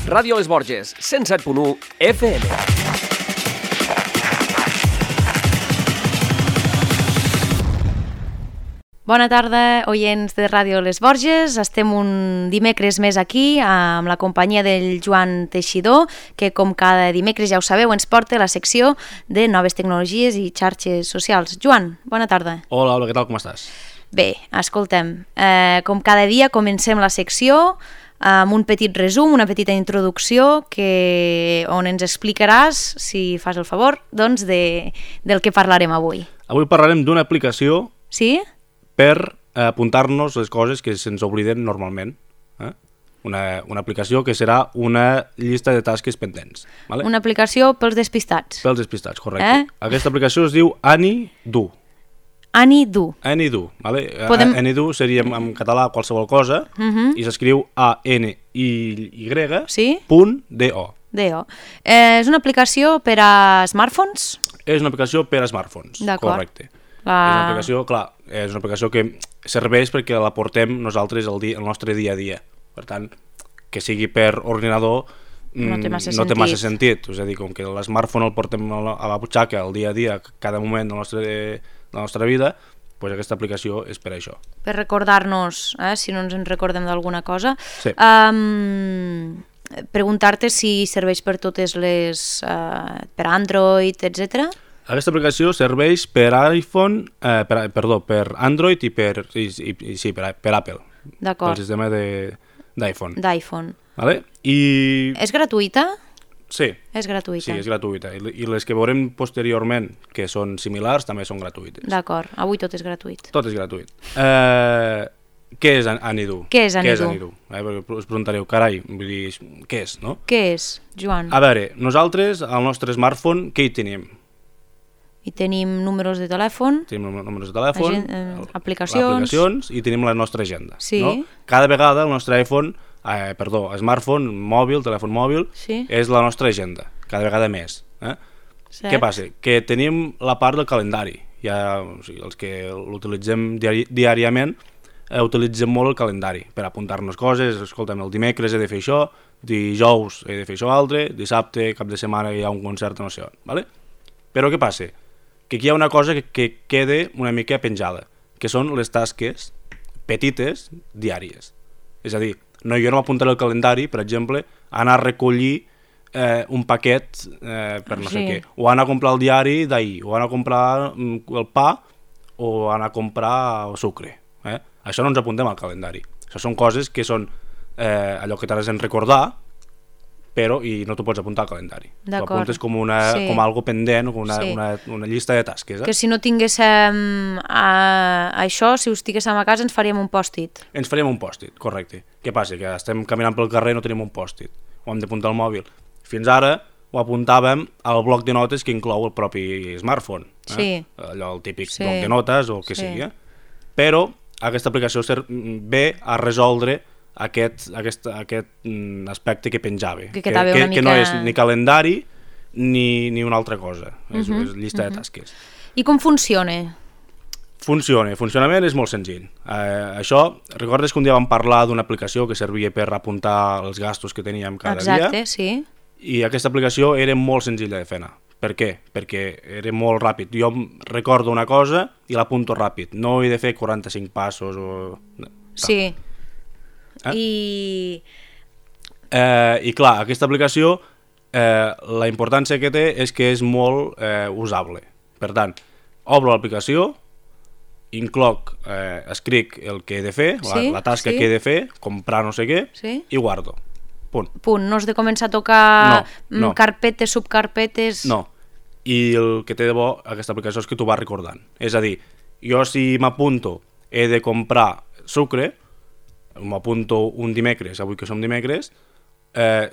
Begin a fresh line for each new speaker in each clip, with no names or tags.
Ràdio Les Borges, 107.1 FM.
Bona tarda, oients de Ràdio Les Borges. Estem un dimecres més aquí amb la companyia del Joan Teixidor, que com cada dimecres ja ho sabeu ens porta la secció de noves tecnologies i xarxes socials. Joan, bona tarda.
Hola, què tal, com estàs?
Bé, escoltem, com cada dia comencem la secció amb un petit resum, una petita introducció on ens explicaràs, si fas el favor, doncs del que parlarem avui.
Avui parlarem d'una aplicació
Sí?
per apuntar-nos les coses que se'ns obliden normalment. Una aplicació que serà una llista de tasques pendents. Vale?
Una aplicació pels despistats.
Pels despistats, correcte. Aquesta aplicació es diu AnyDo.
AnyDo.
AnyDo, vale?
Podem-
AnyDo seria en català qualsevol cosa i s'escriu
Sí?
ANY.do.
DO. És una aplicació per a smartphones?
És una aplicació per a smartphones,
D'acord.
correcte. És una aplicació, clar, és una aplicació que serveix perquè la portem nosaltres al nostre dia a dia. Per tant, que sigui per ordinador
No té massa
sentit. És a dir, com que l'smartphone el portem a la butxaca al dia a dia, cada moment de la nostra vida, doncs aquesta aplicació és per això.
Per recordar-nos, si no ens en recordem d'alguna cosa.
Sí.
Preguntar-te si serveix per totes les... per Android, etc.
Aquesta aplicació serveix per iPhone, per Android i per Apple,
D'acord.
pel sistema d'iPhone.
d'iPhone.
Vale? I...
És gratuïta?
Sí,
És gratuïta.
sí, és gratuïta. I les que veurem posteriorment, que són similars, també són gratuïtes.
D'acord, avui tot és gratuït.
Tot és gratuït. Què és AnyDo?
Què és AnyDo?
Perquè us preguntareu, carai, vull dir, què és, no?
Què és, Joan?
A veure, nosaltres, al nostre smartphone, què hi tenim?
I tenim números de telèfon,
Tenim números de telèfon,
aplicacions
i tenim la nostra agenda.
Sí.
No? Cada vegada el nostre smartphone, mòbil, telèfon mòbil,
Sí.
és la nostra agenda, cada vegada més.
Cert.
Què passa? Que tenim la part del calendari. O sigui, els que l'utilitzem diàriament utilitzem molt el calendari per apuntar-nos coses. Escolta'm, el dimecres he de fer això, dijous he de fer això altre, dissabte, cap de setmana hi ha un concert no sé on. Vale? Però què passa? Que aquí hi ha una cosa que queda una mica penjada, que són les tasques petites diàries. És a dir, jo no m'apuntaré al calendari, per exemple, anar a recollir un paquet per no sé què, o anar a comprar el diari d'ahir, o anar a comprar el pa, o anar a comprar el sucre. Això no ens apuntem al calendari. Això són coses que són allò que t'has de recordar, però i no t'ho pots apuntar al calendari. T'ho apuntes com algo pendent, com una llista de tasques.
Que si no tinguéssim això, si ho estiguéssim a casa, ens faríem un pòstit.
Ens faríem un pòstit, correcte. Què passa? Que estem caminant pel carrer i no tenim un pòstit. Ho hem d'apuntar al mòbil. Fins ara ho apuntàvem al bloc de notes que inclou el propi smartphone.
Sí.
Allò, el típic bloc de notes o el que sigui. Però aquesta aplicació ve a resoldre aquest aspecte que penjava, que no és ni calendari ni una altra cosa, és llista de tasques.
I com funciona?
Funcionament és molt senzill. Això, recordes que un dia vam parlar d'una aplicació que servia per apuntar els gastos que teníem cada dia?
Exacte, sí.
I aquesta aplicació era molt senzilla de fer anar. Per què? Perquè era molt ràpid. Jo recordo una cosa i l'apunto ràpid. No he de fer 45 passos o...
Sí.
I clar, aquesta aplicació la importància que té és que és molt usable. Per tant, obro l'aplicació, escric el que he de fer, la tasca que he de fer, comprar no sé què, i guardo. Punt.
No has de començar a tocar carpetes, subcarpetes...
No. I el que té de bo aquesta aplicació és que t'ho va recordant. És a dir, jo si m'apunto he de comprar sucre, m'apunto un dimecres, avui que som dimecres,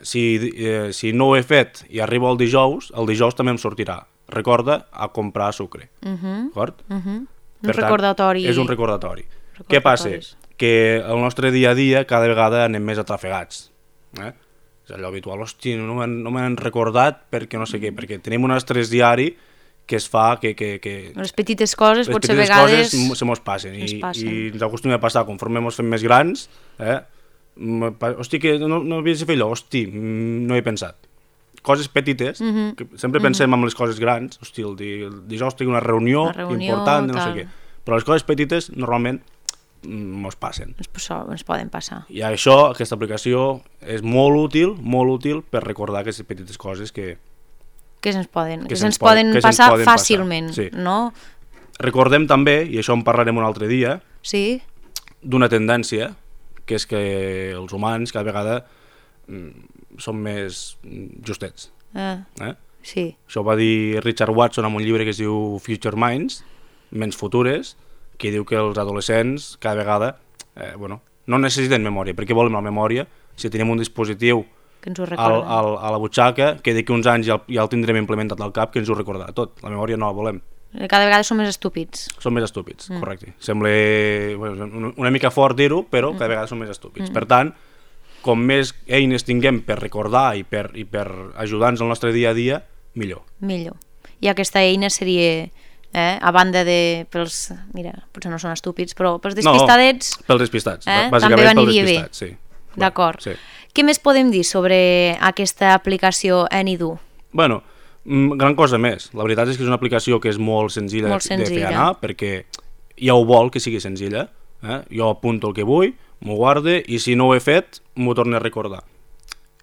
si no ho he fet i arribo el dijous també em sortirà. Recorda a comprar sucre. D'acord?
Un recordatori.
És un recordatori. Què passa? Que el nostre dia a dia cada vegada anem més atrafegats. És allò habitual, hosti, no me n'han recordat perquè no sé què, perquè tenim un estrès diari que es fa que...
Les petites coses
les
potser a
petites
vegades...
coses se mos passen i ens acostumem a passar, conforme ens fem més grans, Hosti, que no havies de fer allò, hosti, no he pensat. Coses petites, que sempre pensem en les coses grans, hosti, el dijous tinc una reunió important, no sé què. Però les coses petites normalment mos passen.
Ens poden passar.
I això, aquesta aplicació, és molt útil per recordar aquestes petites coses que
se'ns poden passar fàcilment,
sí.
No?
Recordem també, i això en parlarem un altre dia,
sí.
D'una tendència, que és que els humans cada vegada són més justets.
Sí.
Això ho va dir Richard Watson en un llibre que es diu Future Minds, Ments futures, que diu que els adolescents cada vegada no necessiten memòria. Per què volem la memòria si tenim un dispositiu
que ens ho
a la butxaca que d'aquí uns anys ja el tindrem implementat al cap, que ens ho recordarà tot. La memòria no la volem.
Cada vegada som més estúpids.
Som més estúpids, correcte. Sembla una mica fort dir-ho, però cada vegada som més estúpids. Per tant, com més eines tinguem per recordar i per ajudar-nos al nostre dia a dia, millor.
I aquesta eina seria, a banda de... Mira, potser no són estúpids, però pels despistadets...
No, pels despistats.
També vaniria bé.
Sí.
D'acord.
Sí.
Què més podem dir sobre aquesta aplicació AnyDo?
Bueno, gran cosa més. La veritat és que és una aplicació que és molt senzilla de fer anar, perquè ja ho vol que sigui senzilla. Jo apunto el que vull, m'ho guarde, i si no ho he fet, m'ho torno a recordar.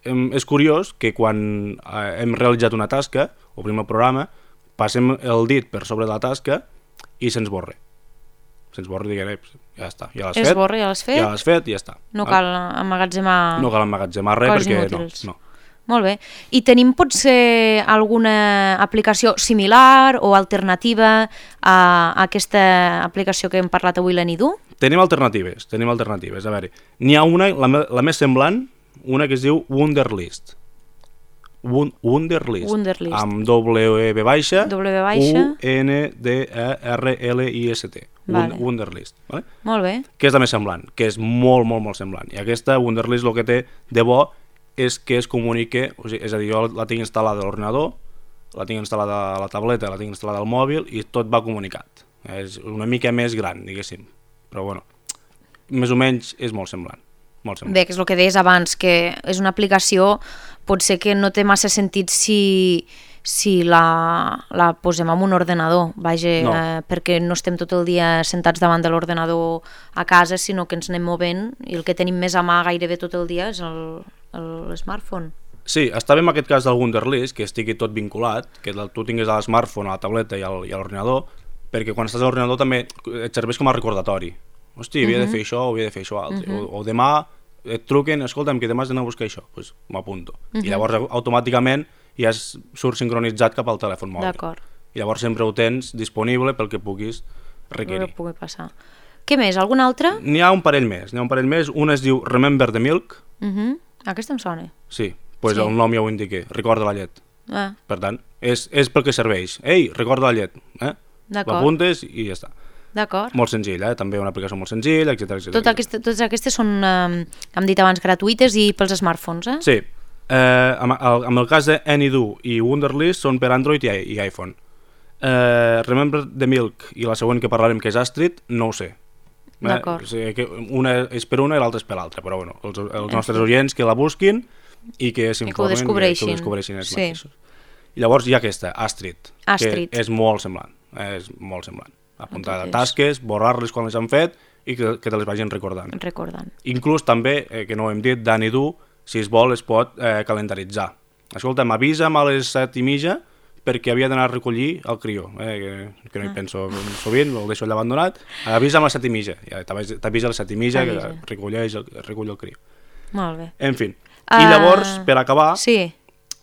És curiós que quan hem realitzat una tasca, obrim el programa, passem el dit per sobre de la tasca i se'ns borra. Se'ns borra i diguem, ja està, ja l'has fet.
Ja
l'has fet i ja està.
No cal emmagatzemar...
No cal emmagatzemar res perquè no.
Molt bé. I tenim potser alguna aplicació similar o alternativa a aquesta aplicació que hem parlat avui, l'AnyDo?
Tenim alternatives. A veure, n'hi ha una, la més semblant, una que es diu Wunderlist. Wunderlist. Amb W baixa, U-N-D-E-R-L-I-S-T. Wunderlist. Vale?
Molt bé.
Que és la més semblant, que és molt, molt, molt semblant. I aquesta Wunderlist el que té de bo és que es comunique, és a dir, jo la tinc instal·lada a l'ordinador, la tinc instal·lada a la tableta, la tinc instal·lada al mòbil i tot va comunicat. És una mica més gran, diguéssim. Però bueno, més o menys és molt semblant.
Bé, que és el que deies abans, que és una aplicació potser que no té massa sentit si la posem en un ordenador, perquè no estem tot el dia sentats davant de l'ordenador a casa, sinó que ens anem movent i el que tenim més a mà gairebé tot el dia és l'smartphone.
Sí, està bé en aquest cas del Wunderlist, que estigui tot vinculat, que tu tinguis a l'smartphone, a la tableta i a l'ordinador, perquè quan estàs a l'ordinador també et serveix com a recordatori. Hosti, havia de fer això o havia de fer això altre. O demà et truquen, escolta'm, que demà has d'anar a buscar això, doncs m'apunto. I llavors automàticament ja surt sincronitzat cap al telèfon mòbil.
D'acord.
I llavors sempre ho tens disponible pel que puguis requerir.
Que pugui passar. Què més? Algun altre?
N'hi ha un parell més. Una es diu Remember the Milk.
Aquesta em sona.
Sí, doncs el nom ja ho indica. Recorda la llet. Per tant, és pel que serveix. Ei, recorda la llet. L'apuntes i ja està.
D'acord.
Molt senzill, també una aplicació molt senzilla, etc.
Totes aquestes són, hem dit abans, gratuïtes i pels smartphones,
Sí. En el cas de AnyDo i Wunderlist són per Android i iPhone. Remember the Milk i la següent que parlarem, que és Astrid, no ho sé.
D'acord.
Una és per una i l'altra és per l'altra, però bueno, els nostres oients que la busquin i que s'informen i que ho descobreixin ells mateixos. I llavors hi ha aquesta, Astrid, que és molt semblant. Apuntar tasques, borrar-les quan les han fet i que te les vagin recordant. Inclús també, que no ho hem dit, d'AnyDo, si es vol, es pot calendaritzar. Escolta, m'avisa'm a les 7:30 perquè havia d'anar a recollir el crió, que no hi penso sovint, el deixo allà abandonat. Avisa'm a les 7:30, ja t'avisa a les 7:30 que recull el crió.
Molt bé.
En fi, i llavors, per acabar,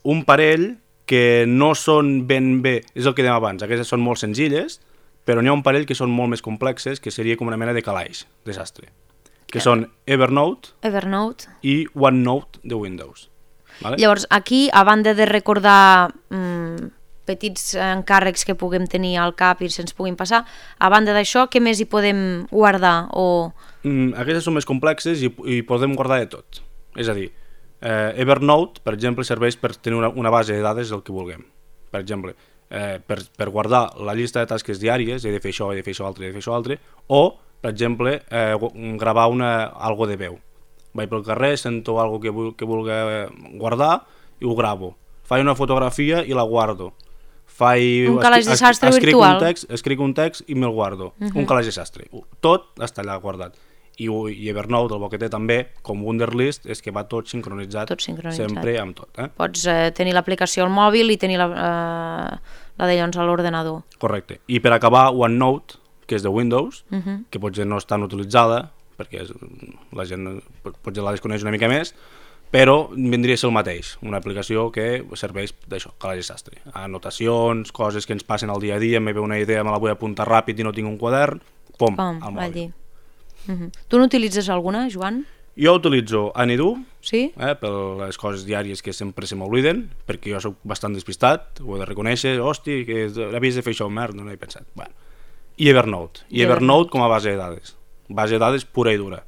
un parell que no són ben bé, és el que dèiem abans, aquestes són molt senzilles, però n'hi ha un parell que són molt més complexes, que seria com una mena de calaix, desastre, que són Evernote i OneNote de Windows.
Llavors, aquí, a banda de recordar petits encàrrecs que puguem tenir al cap i se'ns puguin passar, a banda d'això, què més hi podem guardar?
Aquestes són més complexes i podem guardar de tot. És a dir, Evernote, per exemple, serveix per tenir una base de dades del que vulguem. Per exemple, per guardar la llista de tasques diàries, he de fer això, he de fer això altre, o, per exemple, gravar algo de veu. Vaig pel carrer, sento alguna que vulgui guardar i ho gravo. Faig una fotografia i la guardo.
Un calaix de sastre virtual.
Escric un text i me'l guardo. Un calaix de sastre. Tot està allà guardat. I Evernote, el bo que té també, com Wunderlist, és que va tot sincronitzat, sempre amb tot.
Pots tenir l'aplicació al mòbil i tenir la de llavors a l'ordenador.
Correcte. I per acabar, OneNote, que és de Windows, que potser no és tan utilitzada, perquè la gent potser la desconeix una mica més, però vindria a ser el mateix, una aplicació que serveix d'això, calaix de sastre. Anotacions, coses que ens passen al dia a dia, me ve una idea, me la vull apuntar ràpid i no tinc un quadern, pum, al mòbil.
Tu n'utilitzes alguna, Joan?
Jo utilitzo Anydo,
sí?
Per les coses diàries que sempre se m'obliden, perquè jo soc bastant despistat, ho he de reconèixer, hosti, que havies de fer això, merda, no he pensat. Bueno. I Evernote. I Evernote com a base de dades. Base de dades pura i dura.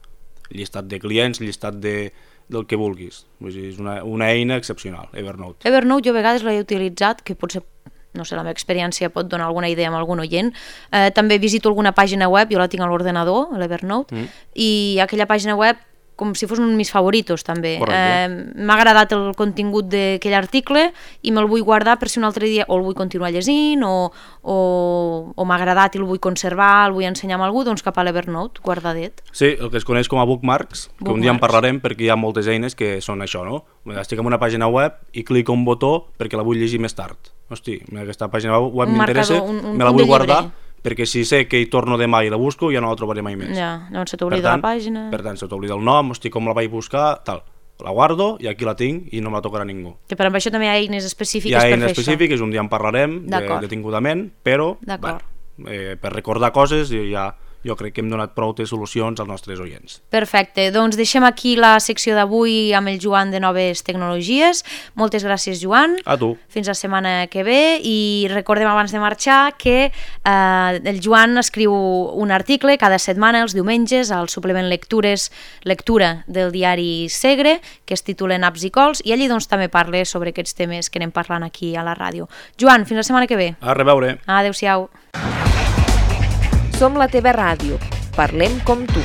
Llistat de clients, llistat del que vulguis. Vull dir, és una eina excepcional, Evernote.
Evernote jo a vegades l'he utilitzat, que potser, no sé, la meva experiència pot donar alguna idea amb algun oient. També visito alguna pàgina web, jo la tinc a l'ordenador, a l'Evernote, i aquella pàgina web com si fos un mis favoritos també. M'ha agradat el contingut d'aquell article i me'l vull guardar per si un altre dia o el vull continuar llegint o m'ha agradat i el vull conservar, el vull ensenyar a algú, doncs cap a l'Evernote, guardadet.
Sí, el que es coneix com a bookmarks, que un dia en parlarem perquè hi ha moltes eines que són això, no? Estic en una pàgina web i clico un botó perquè la vull llegir més tard. Hosti, aquesta pàgina web m'interessa, me la vull guardar, perquè si sé que hi torno demà i la busco ja no la trobaré mai més.
Ja, llavors se t'oblida la pàgina.
Per tant, se t'oblida el nom, hosti, com la vaig buscar, tal. La guardo i aquí la tinc i no me la tocarà ningú.
Que per això també hi ha eines específiques per fer això.
Hi ha eines específiques, un dia en parlarem detingudament, però per recordar coses jo crec que hem donat prou de solucions als nostres oients.
Perfecte, doncs deixem aquí la secció d'avui amb el Joan de Noves Tecnologies. Moltes gràcies, Joan.
A tu.
Fins la setmana que ve i recordem abans de marxar que el Joan escriu un article cada setmana els diumenges al suplement lectura del diari Segre que es titula Naps i cols i allí doncs també parla sobre aquests temes que anem parlant aquí a la ràdio. Joan, fins la setmana que ve.
A reveure.
Adéu-siau.
Som la teva ràdio. Parlem com tu.